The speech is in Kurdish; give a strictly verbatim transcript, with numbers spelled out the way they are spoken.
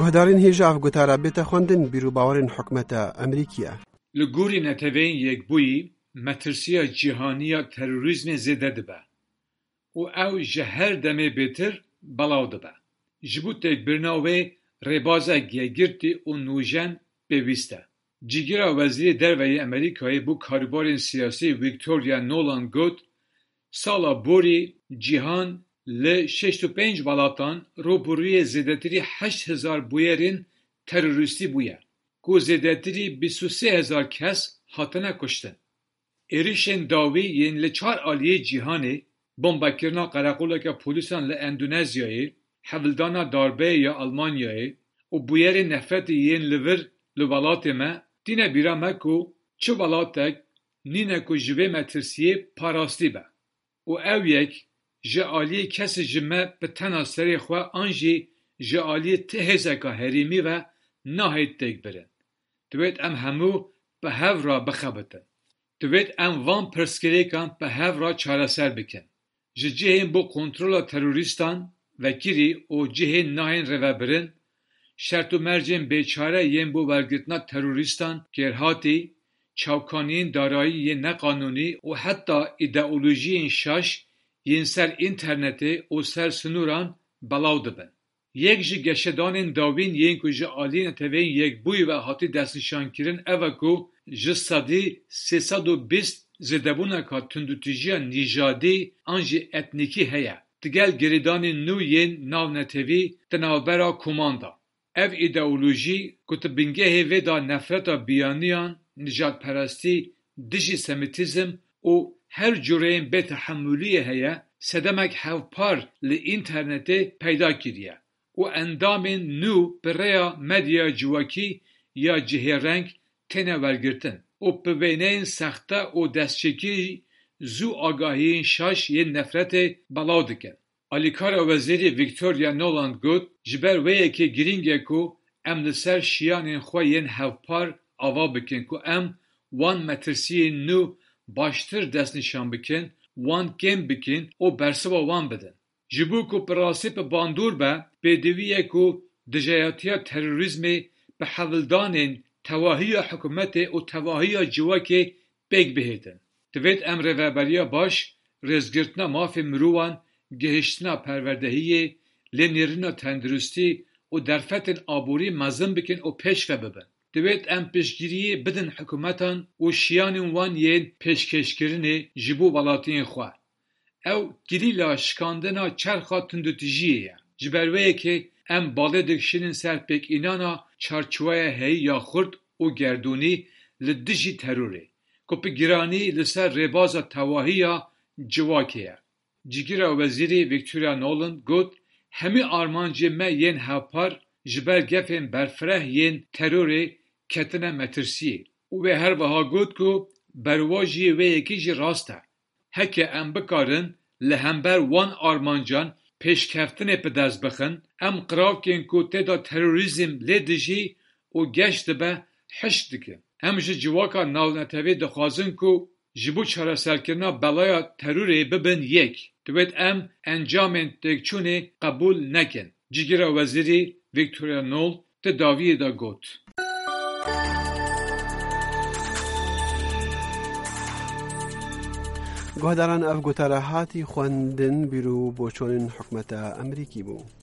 Guhdarên hêja ev gotara bête xwendin, bîr û bawerên hikûmeta Amerîkî ye. Li gorî Neteweyên Yekbûyî, metirsiya cîhanî ya terorîzmê zêde dibe û ew ji her demê bêtir belav dibe. Ji bo têkbirina wê rêbazek yekgirtî û nûjen pêwîst e. Cîgira Wezîrê Derve yê Amerîkayê bo karûbarên siyasî Victoria Nuland got, sala borî cîhan li şêst û pênc welatan rûbirûyê zêdetirî heşt hezar bûyerên terorîstî bûye, ku zêdetirî bîst û sê hezar kes hatine kuştin. Êrişên dawî yên li çar aliyê cîhanê, bombekirina qereqoleke polîsan li Endonezyayê, hevildana darbeyê ya Almanyayê û bûyerên nefretê yên li vir li welatê me, tîne bîra me ku çi welatek nîne ku ji vê metirsiyê parastî be. Û ew yek ji aliyê kesê ji me bi tena serê xwe an jî ji aliyê ti hêzeka herêmî ve nahêt têkbirin. Divêt em hemû bi hev re bixebitin. Divêt em van pirsgirêkan bi hev re çareser bikin. Ji cihên bo kontrola terorîstan vekirî û cihên nahên rêvebirin, şert û mercên bêçare yên bo wergirtina terorîstan kêrhatî, çavkaniyên darayî yên neqanûnî û heta îdeolojiyên şaş yên ser înternetê û ser sinûran belav dibin. Yek ji geşedanên dawîn yên ku ji aliyê Neteweyên Yekbûyî ve hatî destnîşankirin ev e ku ji sedî sê sed û bîst zêdebûneka tundûtîjiya nîjadî an jî etnîkî heye, digel girêdanên nû yên navnetewî di navbera koman de. Ev îdeolojî ku di bingehê vê de nefreta biyaniyan, nijadperestî, dijî semîtîzm û her cureyên bêtehemûliyê heye, sedemek hevpar li înternetê peyda kiriye û endamên nû bi rêya medyaya civakî ya cihêreng têne wergirtin û bi wêneyên sexte û destçêkirî zû agahiyên şaş yên nefretê belav dikin. Alîkara Wezîrî Victoria Nuland got, ji ber wê yekê girîng e ku em li ser şiyanên xwe yên hevpar ava bikin ku em wan metirsiyên nû baştir destnîşan bikin, wan kêm bikin û bersiva wan bidin. Ji bo ku bi rastî bi bandor be, pêdivî ye ku dijayatiya terorîzmê bi hevildanên tevahiya hikûmetê û tevahiya civakê pêk bihêtin. Divêt em rêveberiya baş, rêzgirtina mafê mirovan, gihiştina perwerdehiyê, lênêrîna tenduristî û derfetên aborî mezin bikin û pêşve bibin. Divêt em piştgiriyê bidin hikûmetan û şiyanên wan yên pêşkêşkirinê ji bo welatiyên xwe. Ew kilîla şikandina çerxa tundûtijiyê ye. Ji ber wê yekê em balê dikişînin ser pêkînana çarçoweya heyî ya xurt û gerdûnî li dijî terorê, ku bi giranî li ser rêbaza tevahiya civakê ye. Cîgira Wezîrî Victoria Nuland got, hemî armancên me yên hevpar ji ber gefên berfireh yên terorê ketine metirsiyê û wê her wiha got ku berwajiyê wê yekê jî rast e. Heke em bikarin li hember wan armancan pêşkeftinê bi dest bixin, em qiravkên ku tê de terorîzm lê dijî û geş dibe, hişk dikin. Em ji civaka navnetewî dixwazin ku ji bo çareserkirina belaya terorê bibin yek. Divêt em encamên têkçûnê qebûl nekin. Cîgira Wezîrî Victoria Nuland di dawiyê de got. Guhdaran, ev gotara hatî xwendin, bîr û boçonên hikûmeta Amerîkî bû.